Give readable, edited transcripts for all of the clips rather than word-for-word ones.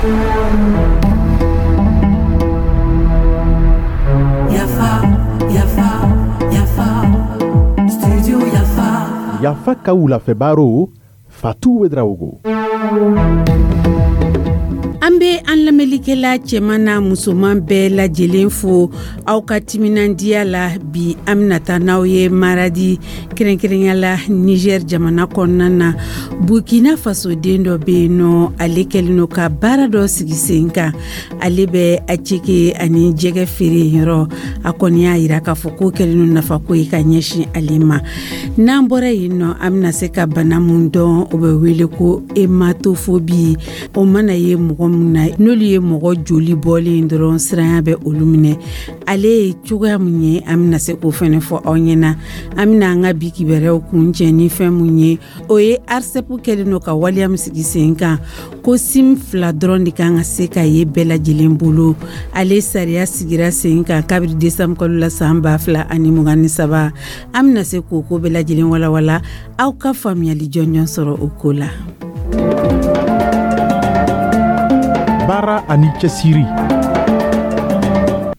Yafa, yafa, yafa, studio Yafa. Yafa ka wulafɛ baro, Fatu Ouedraogo. An bɛ an lamɛnlikɛla cɛman n'a musoman bɛɛ lajɛlen fo aw ka timinandiya la. Bi, an bɛna taa n'aw ye Maradi, kɛrɛnkɛrɛnya la Niger jamana kɔnɔna na. Burkina Faso den dɔ bɛ yen nɔ, ale kɛlen don ka baara dɔ sigi sen kan. Ale bɛ attiéké ani jɛgɛ feere yɔrɔ. A kɔni y'a yira k'a fɔ ko kɛlen don nafako ye ka ɲɛsin ale ma. N'an bɔra yen nɔ, an bɛna se ka bana mun dɔn, o bɛ wele ko hématophobie. O mana ye mɔgɔ min na, n'olu ye mɔgɔ joli bɔlen dɔrɔn, siranya bɛ olu minɛ. Ale ye cogoya mun ye, an bɛna se k'o fɛnɛ fɔ aw ɲɛna. An bɛna an ka bi kibaruyaw kuncɛ ni fɛn mun ye, o ye ARCEP kɛlen don ka waleya min sigi sen kan ko SIM fila dɔrɔn de kan ka se ka ye bɛɛ lajɛlen bolo. Ale sariya sigira sen kan kabiri desanburu kalo la san 2023. An bɛna se k'o ko bɛɛ lajɛlen walawala, aw ka faamuyali jɔnjɔn sɔrɔ o ko la. Baara ani cɛsiri.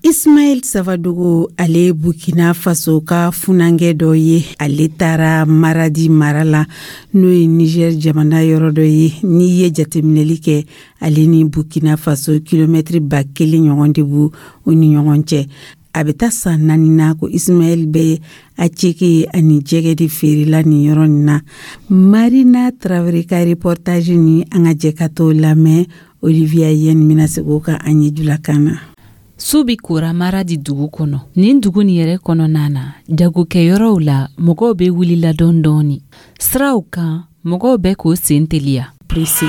Ismaël Savadogo, ale Burkina Faso ka funankɛ dɔ ye. Ale taara Maradi mara la, n'o ye Niger jamana yɔrɔ dɔ ye. N'i ye jateminɛli kɛ, ale ni Burkina Faso, kilomɛtiri 1000 ɲɔgɔn de b'u u ni ɲɔgɔn cɛ. A bɛ taa san 4 na ko Ismaël bɛ attiéké ani jɛgɛ de feerela nin yɔrɔ nin na. Marina Traoré ka reportage ni, an ka jɛ ka t'o lamɛn. Olivia Yen bɛna segin o kan an ye julakan na. Su bi kora Maradi dugu kɔnɔ. Nin dugu nin yɛrɛ kɔnɔna na, jagokɛyɔrɔw la, mɔgɔw bɛ wulila dɔɔni dɔɔni. Siraw kan, mɔgɔw bɛ k'o sen teliya, pressé.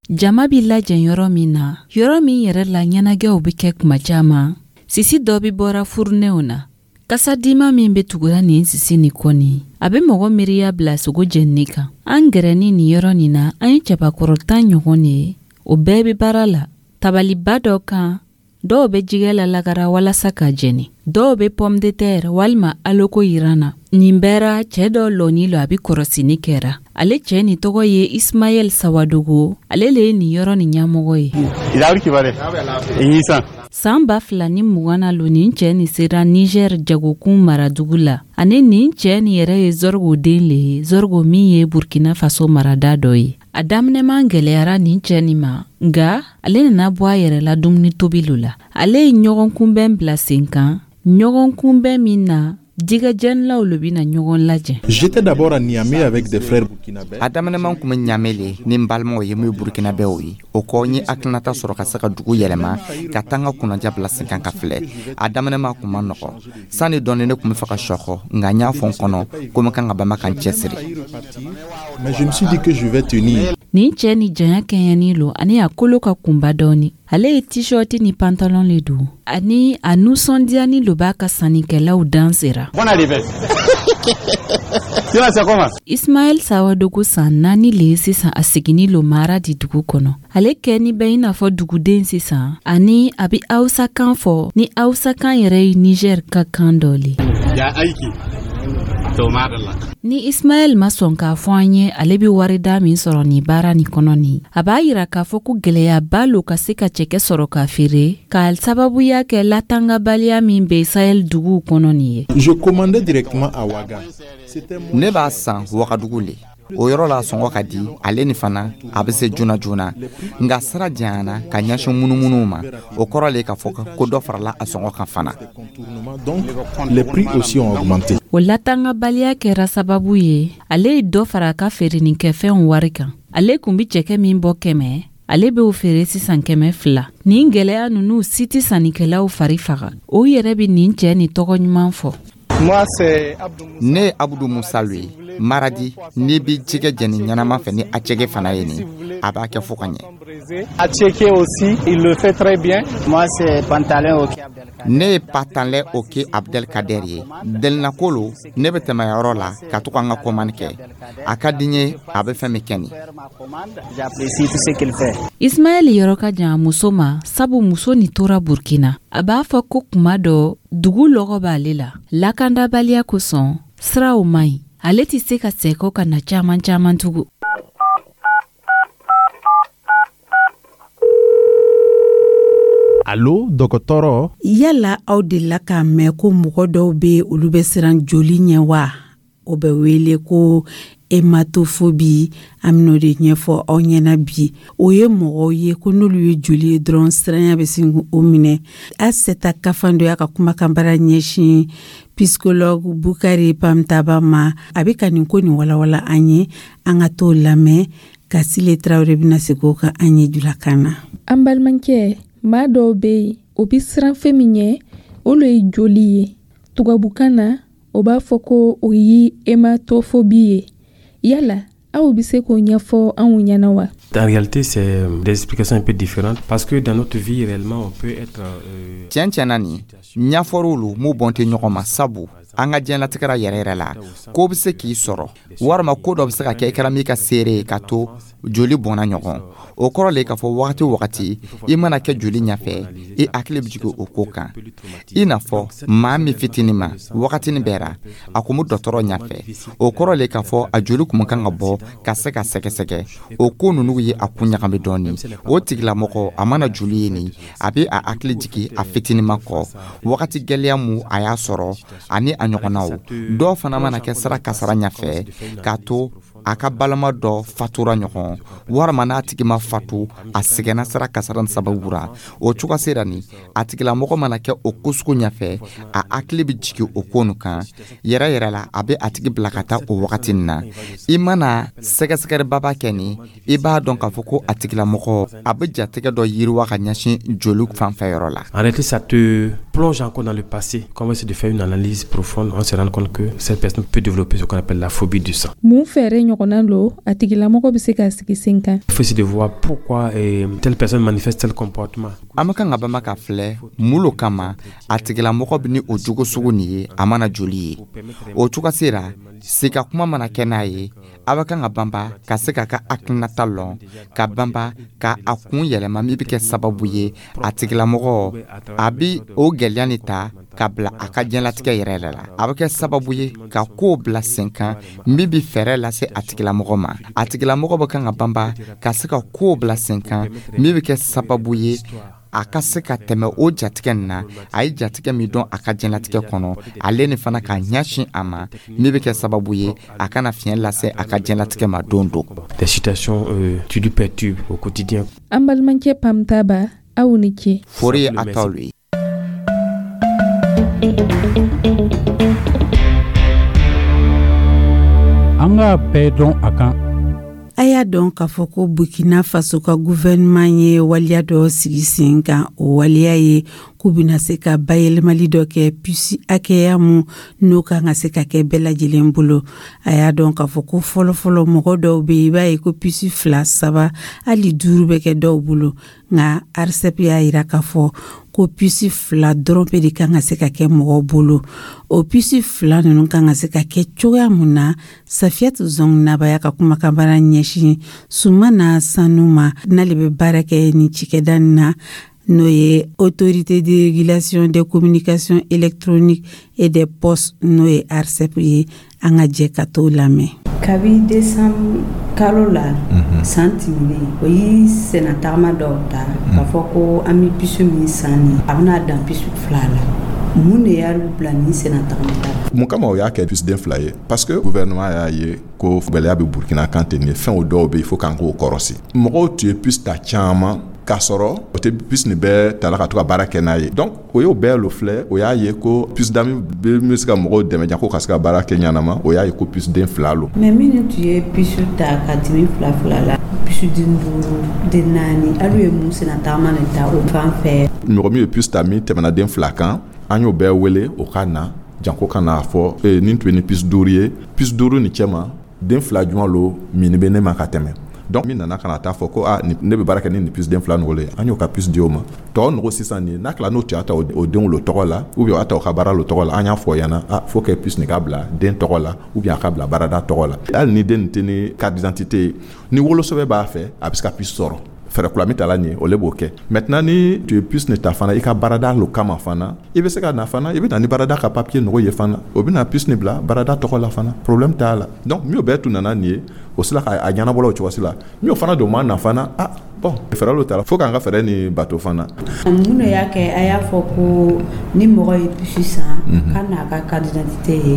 Jama bi lajɛ yɔrɔ min na, yɔrɔ min yɛrɛ la ɲɛnajɛw bɛ kɛ kuma caman, sisi dɔ bɛ bɔra furunɛw na. Kasadima min bɛ tugura nin sisi nin kɔni, a bɛ mɔgɔ miiriya bila sogo jenini kan. An gɛrɛni nin yɔrɔ nin na, an ye cɛbakɔrɔ 10 ɲɔgɔn de ye. O bɛɛ bɛ baara la tabaliba dɔ kan. Dɔw bɛ jɛgɛ lalagara walasa ka jeni, dɔw bɛ pomme de terre walima aloko yiran na. Nin bɛɛ cɛɛ dɔ lɔni lo, a bɛ kɔrɔsini kɛra. Ale cɛɛ nin tɔgɔ ye Ismayɛl Sawadogo. Ale le ye nin yɔrɔ nin ɲɛmɔgɔ ye. San 2020 na lo nin cɛɛ nin sera Niger jagokun maradugu la. Ani nin cɛɛ nin yɛrɛ ye Zɔrgo den le ye, Zɔrgo min ye Burkina Faso marada dɔ ye. A daminɛman gɛlɛyara nin cɛɛ nin ma, nga ale nana bɔ a yɛrɛ la dumuni tobi lo la. Ale ye ɲɔgɔn kunbɛn bila sen kan, ɲɔgɔn kunbɛn min na jɛgɛjɛnilaw lo bɛna ɲɔgɔn lajɛ. J'étais d'abord à Niamey avec des frères burkinabés. A daminɛman kun bɛ Ɲamɛ le ni n balimaw ye min ye burkinabɛw ye. O kɔ, n ye hakilinata sɔrɔ ka se ka dugu yɛlɛma, ka taa n ka kunnaja bila sen kan ka filɛ. A daminɛma kun ma nɔgɔ. Sani dɔɔni, ne kun bɛ fɛ ka sɔkɔ, nka n y'a fɔ n kɔnɔ ko n kan ka banba ka n cɛsiri. Mais je me suis dit que je vais tenir. Nin cɛ ni janya kɛɲɛni lo ani a kolo ka kunba dɔɔni. Ale ye t-shirt ni pantalon le don, ani a nusɔndiyani lo b'a ka sannikɛlaw dan sera. Ismaɛl Sawadogo san 4 le ye sisan a seginni lo Maradi dugu kɔnɔ. Ale kɛni bɛ i n'a fɔ duguden sisan, ani a bɛ Hausa kan fɔ, ni Hausa kan yɛrɛ ye Niger ka kan dɔ le. Ni Ismaɛl ma sɔn k'a fɔ an ye ale bɛ warida min sɔrɔ nin baara nin kɔnɔ nin, a b'a yira k'a fɔ ko gwɛlɛyaba lo ka se ka cɛkɛ sɔrɔ k'a feere, k'a sababuya kɛ latangabaliya min bɛ Sahel duguw kɔnɔ nin ye. Je commandais directement à Ouaga. Ne b'a san Wagadugu le. O yɔrɔ la, sɔngɔ ka di ale ni fana, a bɛ se joona joona. Nka sira janyana ka ɲɛsin munumunuw ma, o kɔrɔ le k'a fɔ ko dɔ farala a sɔngɔ kan fana. Donc, les prix aussi ont augmenté. O latangabaliya kɛra sababu ye ale ye dɔ fara a ka feerenikɛfɛnw wari kan. Ale kun be cɛkɛ min bɔ 100, ale b'o feere sisan 200. Nin gwɛlɛya nunu si tɛ sannikɛlaw fari faga. O yɛrɛ be nin cɛɛ ni tɔgɔ ɲuman fɔ. Ne ye Abudu Musa lo ye Maradi. N'i bi jɛgɛ jɛni ɲɛnama fɛ ni attiéké fana ye nin, a b'a kɛ fo ka ɲɛ. Ne ye Patanlɛ Oke Abdelkader ye. Delinako lo, ne bɛ tɛmɛ yɔrɔ la ka to ka n ka commande kɛ. A ka di n ye a bɛ fɛn min kɛ nin. Ismaɛl yɔrɔ ka jan a muso ma, sabu muso ni tora Burkina. A b'a fɔ ko kuma dɔ dugu lɔgɔ b'ale la. Lakandabaliya kosɔn, siraw man ɲi, ale tɛ se ka sɛkɔ ka na caman caman tugun. Alo, dɔgɔtɔrɔ. Yala aw delila k'a mɛn ko mɔgɔ dɔw bɛ, olu bɛ siran joli ɲɛ wa? O bɛ wele ko hématophobie. An bɛn'o de ɲɛfɔ aw ɲɛna bi. O ye mɔgɔw ye ko n'olu ye joli ye dɔrɔn, siranya bɛ sin k'o minɛ. Aseta Kafando y'a ka kumakanbara ɲɛsin psychologue Bukari Pamtaba ma. A bɛ ka nin ko nin walawala an ye. An ka t'o lamɛn. Kasile Tarawele bɛna segin o kan an ye julakan na. An balimakɛ, maa dɔw bɛ yen, o bɛ siran fɛn min ɲɛ, o le ye joli ye. Tubabukan na, o b'a fɔ ko o ye hématophobie ye. Yala aw bɛ se k'o ɲɛfɔ anw ɲɛna wa? En réalité, c'est des explications un peu différentes parce que dans notre vie, réellement, on peut être Tiɲɛ tiɲɛ na, nin ɲɛfɔr'olu m'u bɔn tɛ ɲɔgɔn ma, sabu an ka diɲɛlatigɛra yɛrɛ yɛrɛ la, ko bɛ se k'i sɔrɔ walima ko dɔ bɛ se ka kɛ i kɛra min ka seere ye ka to joli bɔnna ɲɔgɔn. O kɔrɔ le k'a fɔ wagati o wagati i mana kɛ joli ɲɛfɛ, i hakili bɛ jigin o ko kan. I n'a fɔ maa min fitinin ma, wagatinin bɛɛ a kun bɛ dɔgɔtɔrɔ ɲɛfɛ, o kɔrɔ le k'a fɔ a joli kun kan ka bɔ ka se ka sɛgɛsɛgɛ. O ko ninnu ye a kun ɲagami dɔɔni. O tigilamɔgɔ, a mana joli ye nin, a bɛ a hakili jigin a fitininma kɔ wagati gɛlɛya mu a y'a sɔrɔ ani a ɲɔgɔnnaw. Dɔw fana mana kɛ sira kasara ɲɛfɛ k'a to a ka balima dɔ fatura ɲɔgɔn, walima n'a tigi ma fatu, a sɛgɛnna sira kasara nin sababu ra. O cogo sera nin, a tigilamɔgɔ mana kɛ o ko sugu ɲɛfɛ, a hakili bɛ jigin o ko nin kan yɛrɛ yɛrɛ la, a bɛ a tigi bila ka taa o wagati nin na. I mana sɛgɛsɛgɛlibaba kɛ nin, i b'a dɔn k'a fɔ ko a tigilamɔgɔ, a bɛ jatigɛ dɔ yiriwa ka ɲɛsin joli fanfɛ yɔrɔ la. En réalité, ça te plonge encore dans le passé. Quand on essaie de faire une analyse profonde, on se rend compte que cette personne peut développer ce qu'on appelle la phobie du sang. Mun fɛɛrɛ ɲɔgɔnna lo a tigilamɔgɔ bɛ se k'a sigi sen kan? Il faut essayer de voir pourquoi telle personne manifeste tel comportement. An bɛ kan ka bama ka filɛ mun lo kama a tigilamɔgɔ bɛ ni o jogo sugu nin ye a mana joli ye. O cogo sera, sika kuma mana kɛ n'a ye, a bɛ kan ka banba ka se k'a ka hakilinata lɔn, ka banba ka a kun yɛlɛma min bɛ kɛ sababu ye a tigilamɔgɔ a bi o gɛlɛya nin ta ka bila a ka diɲɛlatigɛ yɛrɛ yɛrɛ la. A bɛ kɛ sababu ye ka kow bila sen kan min bɛ fɛɛrɛ lase a tigilamɔgɔ ma. A tigilamɔgɔ bɛ kan ka banba ka se ka kow bila sen kan min bɛ kɛ sababu ye a ka se ka tɛmɛ o jatigɛ nin na. A ye jatigɛ min dɔn a ka diɲɛlatigɛ kɔnɔ, ale ni fana k'a ɲɛsin a ma min bɛ kɛ sababu ye a kana fiɲɛ lase a ka diɲɛlatigɛ ma don don. Des situations qui lui perturbent au quotidien. An balimakɛ Pamtaba, aw ni ce. Fori ye a taw ye. An k'a bɛɛ dɔn a kan. A y'a dɔn k'a fɔ ko Burkina Faso ka gouvernement ye waleya dɔ sigi sen kan. O waleya ye k'u bɛna se ka bayɛlɛmali dɔ kɛ puce hakɛya mun n'o kan ka se ka kɛ bɛɛ lajɛlen bolo. A y'a dɔn k'a fɔ ko fɔlɔfɔlɔ, mɔgɔ dɔw bɛ yen, i b'a ye ko puce fila, saba, hali duuru bɛ kɛ dɔw bolo. Nka ARCEP y'a yira k'a fɔ ko puce fila dɔrɔn pe de kan ka se ka kɛ mɔgɔw bolo. O puce fila ninnu kan ka se ka kɛ cogoya mun na? Safiyatu Zɔng Naba y'a ka kumakanbara ɲɛsin Sumana Sanu ma, n'ale bɛ baara kɛ nin cikɛda nin na, n'o ye Autorité de régulation des communications électroniques et des postes, n'o ye ARCEP ye. An ka jɛ ka t'o lamɛn. Kabi décembre kalo la san tɛmɛnen, o ye sennatagama dɔw ta k'a fɔ ko an bɛ puce min san nin, a bɛna dan puce fila la. Mun de y'a bila nin sennatagama ta la? Mun kama o y'a kɛ puce den fila ye? Parce que gouvernement y'a ye ko gɛlɛya bɛ Burkina kan ten. Nin fɛn dɔw bɛ yen, fo k'an k'o kɔrɔsi. Mɔgɔw tun ye puce ta caman k'a sɔrɔ o tɛ puce nin bɛɛ tala ka to ka baara kɛ n'a ye. Donc o y'o bɛɛ lo filɛ, o y'a ye ko puce dami bɛ se ka mɔgɔw dɛmɛ jako ka se ka baara kɛ ɲanama. O y'a ye ko puce den fila lo. Mais minnu tun ye puce ta ka tɛmɛ fila fila la, puce den duuru, den naani, alu ye mun sennatagama de ta o fan fɛ? Mɔgɔ min ye puce ta min tɛmɛna den fila kan, an y'o bɛɛ wele o ka na janko ka n'a fɔ nin tun ye ni puce duuru ye, puce duuru ni cɛ ma den fila juma lo min bɛ ne ma ka tɛmɛ. Donc min nana ka na taa fɔ ko ah, ne bɛ baara kɛ ni nin puce den fila nɔgɔ ye, an y'o ka puce di o ma. Tɔ nɔgɔ sisan nin n'a tila n'o tun y'a ta o denw lo tɔgɔ la ou bien o y'a ta o ka baara lo tɔgɔ la, an y'a fɔ o ɲɛna ah, faut que puce nin ka bila den tɔgɔ la ou bien a ka bila baarada tɔgɔ la. Hali ni den nin tɛ ni carte d'identité ye, ni wolosɛbɛn b'a fɛ, a bɛ se ka puce sɔrɔ. Fɛɛrɛ kura min tala nin ye, o le b'o kɛ. Maintenant, ni tu ye puce nin ta fana i ka baarada lo kama fana, i bɛ se ka na fana, i bɛ na ni baarada ka papier nɔgɔ ye fana, o bɛ na puce nin bila baarada tɔgɔ la fana, problème t'a la. Donc min bɛɛ tun nana nin ye, o sila k'a ɲɛnabɔla o cogo si la. Min fana don ma na fana, ah. Bon, fɛɛrɛ lo tara, fo k'an ka fɛɛrɛ ni bato fana. Mun de y'a kɛ a y'a fɔ ko ni mɔgɔ ye puce san, k'a n'a ka carte d'identité ye,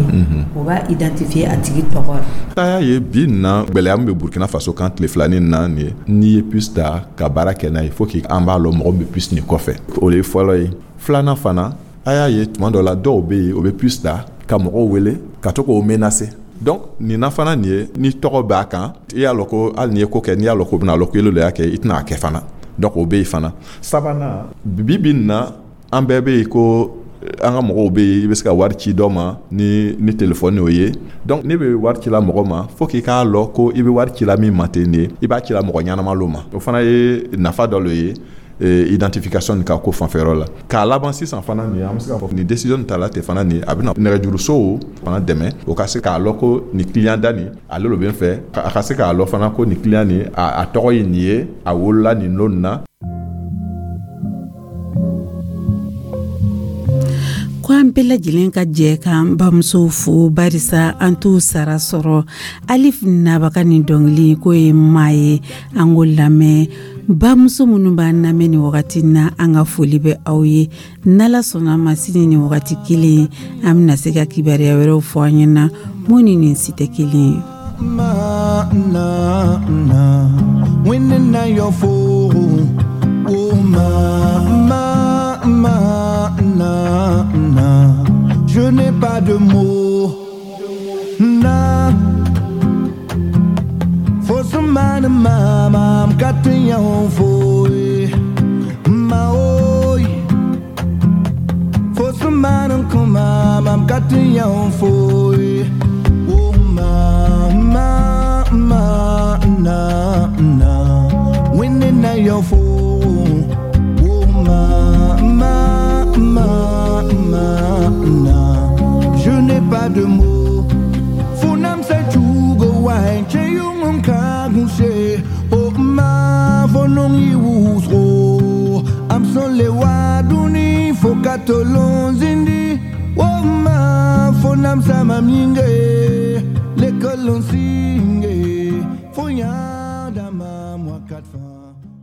o b'a identifier a tigi tɔgɔ la? A y'a ye bi na, gwɛlɛya min bɛ Burkina Faso kan tile filanin na nin ye, n'i ye puce ta ka baara kɛ n'a ye, fo k'an b'a lɔn mɔgɔ min bɛ puce nin kɔfɛ. O ye fɔlɔ ye. Filanan fana, a y'a ye tuma dɔ la, dɔw bɛ yen, o bɛ puce ta ka mɔgɔw wele ka to k'o menacer. Donc nin na fana nin ye, ni tɔgɔ b'a kan, i y'a lɔn ko hali n'i ye ko kɛ, n'i y'a lɔn ko bɛna lɔn ko ele de y'a kɛ, i tɛna a kɛ fana. Donc o bɛ yen fana. Sabanan, bi bi in na, an bɛɛ bɛ yen ko an ka mɔgɔw bɛ yen, i bɛ se ka wari ci dɔ ma ni telefɔni o ye. Donc ne bɛ wari ci la mɔgɔ ma, fo k'i k'a lɔn ko i bɛ wari ci la min ma ten de, i b'a ci la mɔgɔ ɲɛnama lo ma. O fana ye nafa dɔ le ye identification ka ko fanfɛyɔrɔ la. K'a laban sisan fana nin, an bɛ se k'a fɔ nin décision ta la ten fana nin, a bɛna nɛgɛjurusow fana dɛmɛ, o ka se k'a lɔn ko nin client da nin, ale lo bɛ n fɛ, a ka se k'a lɔn fana ko nin client nin, a tɔgɔ ye nin ye, a wolola nin lon na. Ko an bɛɛ lajɛlen ka jɛ k'an bamusow fo, barisa an t'u sara sɔrɔ. Alif Naba ka nin dɔnkili k'o ye maa ye, an k'o lamɛn. Bamuso minnu b'an lamɛn nin wagati na, an ka foli bɛ aw ye. N'Ala sɔnna ma, sini nin wagati kelen, an bɛna se ka kibaruya wɛrɛw fɔ an ɲɛna mun ni nin si tɛ kelen ye. Ma na na na yo fo o ma ma ma na na, je n'ai pas de mots na fo sumana mama mkatinya fo ma oi fo sumana kuma mkatinya fo o ma ma ma na na na yo fo o ma ma ma ma na, je n'ai pas de mots. Funam se chugo wai che yung ka gunse o ma fonong i wusro am son le waduni fo katolon zindi o ma fonam sa ma minge l'école on singe fo ya.